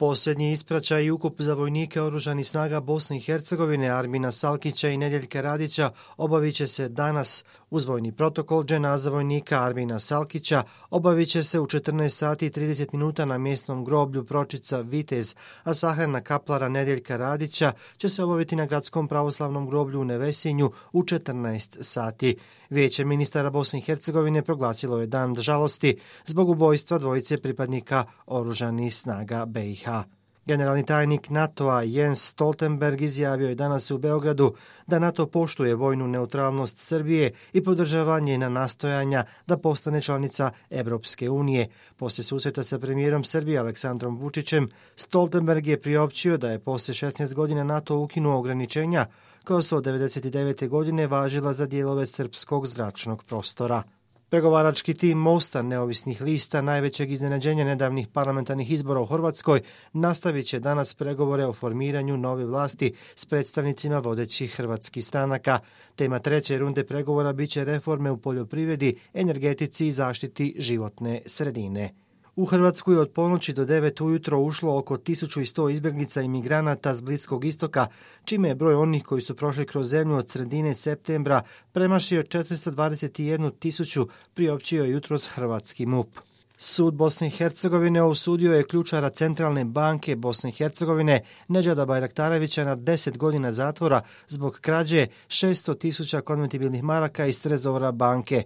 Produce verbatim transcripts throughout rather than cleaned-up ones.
Posljednji ispraćaj i ukup za vojnike oružanih snaga Bosne i Hercegovine Armina Salkića i Nedjeljka Radića obavit će se danas. Uz vojni protokol dženaza vojnika Armina Salkića obavit će se u četrnaest sati i trideset minuta na mjesnom groblju Pročica Vitez, a sahrana kaplara Nedjeljka Radića će se obaviti na gradskom pravoslavnom groblju u Nevesinju u četrnaest sati. Vijeće ministara Bosne i Hercegovine proglasilo je dan žalosti zbog ubojstva dvojice pripadnika oružanih snaga B i H. Generalni tajnik NATO-a Jens Stoltenberg izjavio je danas u Beogradu da NATO poštuje vojnu neutralnost Srbije i podržava njena nastojanja da postane članica Evropske unije. Poslije susreta sa premijerom Srbije Aleksandrom Vučićem, Stoltenberg je priopćio da je poslije šesnaest godina NATO ukinuo ograničenja koja su od devedeset devete godine važila za dijelove srpskog zračnog prostora. Pregovarački tim Mosta neovisnih lista, najvećeg iznenađenja nedavnih parlamentarnih izbora u Hrvatskoj, nastavit će danas pregovore o formiranju nove vlasti s predstavnicima vodećih hrvatskih stranaka. Tema treće runde pregovora biće reforme u poljoprivredi, energetici i zaštiti životne sredine. U Hrvatsku je od ponoći do devet ujutro ušlo oko tisuću sto izbjeglica i migranata s Bliskog istoka, čime je broj onih koji su prošli kroz zemlju od sredine septembra premašio četiristo dvadeset jednu tisuću, priopćio jutros hrvatski M U P. Sud Bosne i Hercegovine osudio je ključara Centralne banke Bosne i Hercegovine Nedžada Bajraktarevića na deset godina zatvora zbog krađe šesto tisuća konvertibilnih maraka iz trezora banke.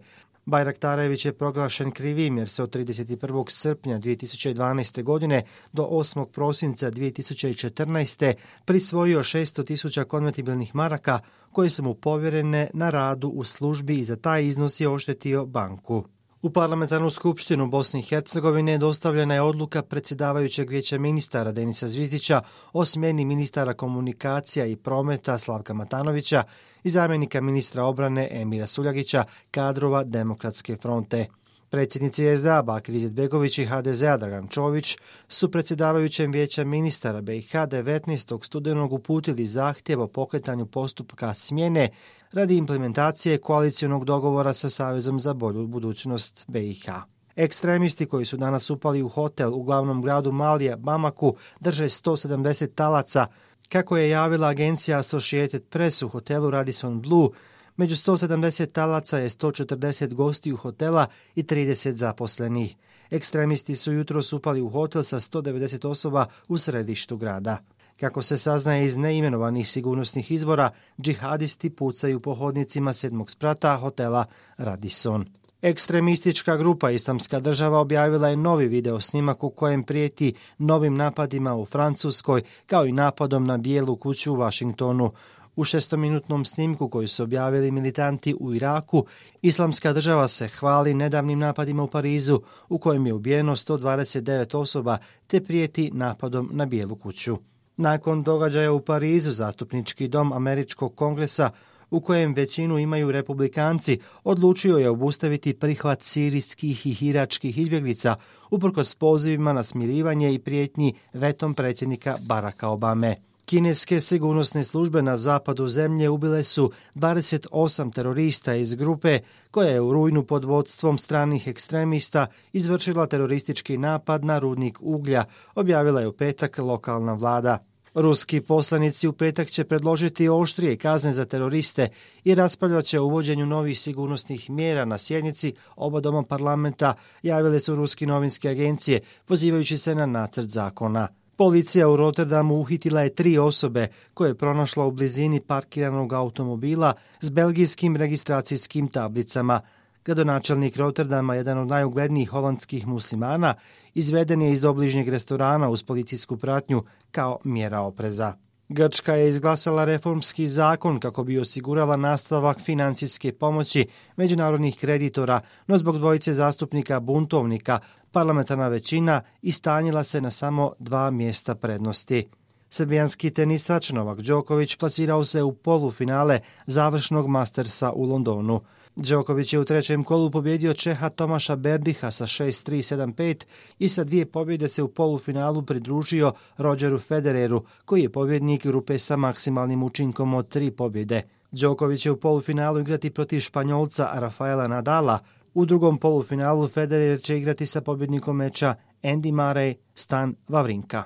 Bajraktarević je proglašen krivim jer se od trideset prvog srpnja dvije tisuće dvanaeste. godine do osmog prosinca dvije tisuće četrnaeste. prisvojio šesto tisuća konvertibilnih maraka koje su mu povjerene na radu u službi i za taj iznos je oštetio banku. U parlamentarnu skupštinu Bosne i Hercegovine dostavljena je odluka predsjedavajućeg vijeća ministara Denisa Zvizdića o smjeni ministara komunikacija i prometa Slavka Matanovića i zamjenika ministra obrane Emira Suljagića, kadrova Demokratske fronte. Predsjednici S D A Bakir Izetbegović i H D Z A Dragan Čović su predsjedavajućem vijeća ministara B i H devetnaestog studenog uputili zahtjev o pokretanju postupka smjene radi implementacije koalicionog dogovora sa Savezom za bolju budućnost B i H. Ekstremisti koji su danas upali u hotel u glavnom gradu Malija, Bamaku, drže sto sedamdeset talaca. Kako je javila agencija Associated Press, u hotelu Radisson Blu, među sto sedamdeset talaca je sto četrdeset gostiju hotela i trideset zaposlenih. Ekstremisti su jutros upali u hotel sa sto devedeset osoba u središtu grada. Kako se saznaje iz neimenovanih sigurnosnih izvora, džihadisti pucaju po hodnicima sedmog sprata hotela Radisson. Ekstremistička grupa Islamska država objavila je novi video snimak u kojem prijeti novim napadima u Francuskoj, kao i napadom na Bijelu kuću u Washingtonu. U šestominutnom snimku koji su objavili militanti u Iraku, Islamska država se hvali nedavnim napadima u Parizu, u kojem je ubijeno sto dvadeset devet osoba, te prijeti napadom na Bijelu kuću. Nakon događaja u Parizu, zastupnički dom Američkog kongresa, u kojem većinu imaju republikanci, odlučio je obustaviti prihvat sirijskih i iračkih izbjeglica, uprkos pozivima na smirivanje i prijetnji vetom predsjednika Baracka Obame. Kineske sigurnosne službe na zapadu zemlje ubile su dvadeset osam terorista iz grupe koja je u rujnu pod vodstvom stranih ekstremista izvršila teroristički napad na rudnik uglja, objavila je u petak lokalna vlada. Ruski poslanici u petak će predložiti oštrije kazne za teroriste i raspravljat će o uvođenju novih sigurnosnih mjera na sjednici oba doma parlamenta, javile su ruski novinske agencije, pozivajući se na nacrt zakona. Policija u Rotterdamu uhitila je tri osobe koje je pronašla u blizini parkiranog automobila s belgijskim registracijskim tablicama. Gradonačelnik Rotterdama, jedan od najuglednijih holandskih muslimana, izveden je iz obližnjeg restorana uz policijsku pratnju kao mjera opreza. Grčka je izglasala reformski zakon kako bi osigurala nastavak financijske pomoći međunarodnih kreditora, no zbog dvojice zastupnika buntovnika parlamentarna većina istanjila se na samo dva mjesta prednosti. Srbijanski tenisač Novak Đoković plasirao se u polufinale završnog Mastersa u Londonu. Đoković je u trećem kolu pobjedio Čeha Tomaša Berdiha sa šest tri sedam pet i sa dvije pobjede se u polufinalu pridružio Rogeru Federeru, koji je pobjednik grupe sa maksimalnim učinkom od tri pobjede. Đoković će u polufinalu igrati protiv Španjolca Rafaela Nadala. U drugom polufinalu Federer će igrati sa pobjednikom meča Andy Murray Stan Wawrinka.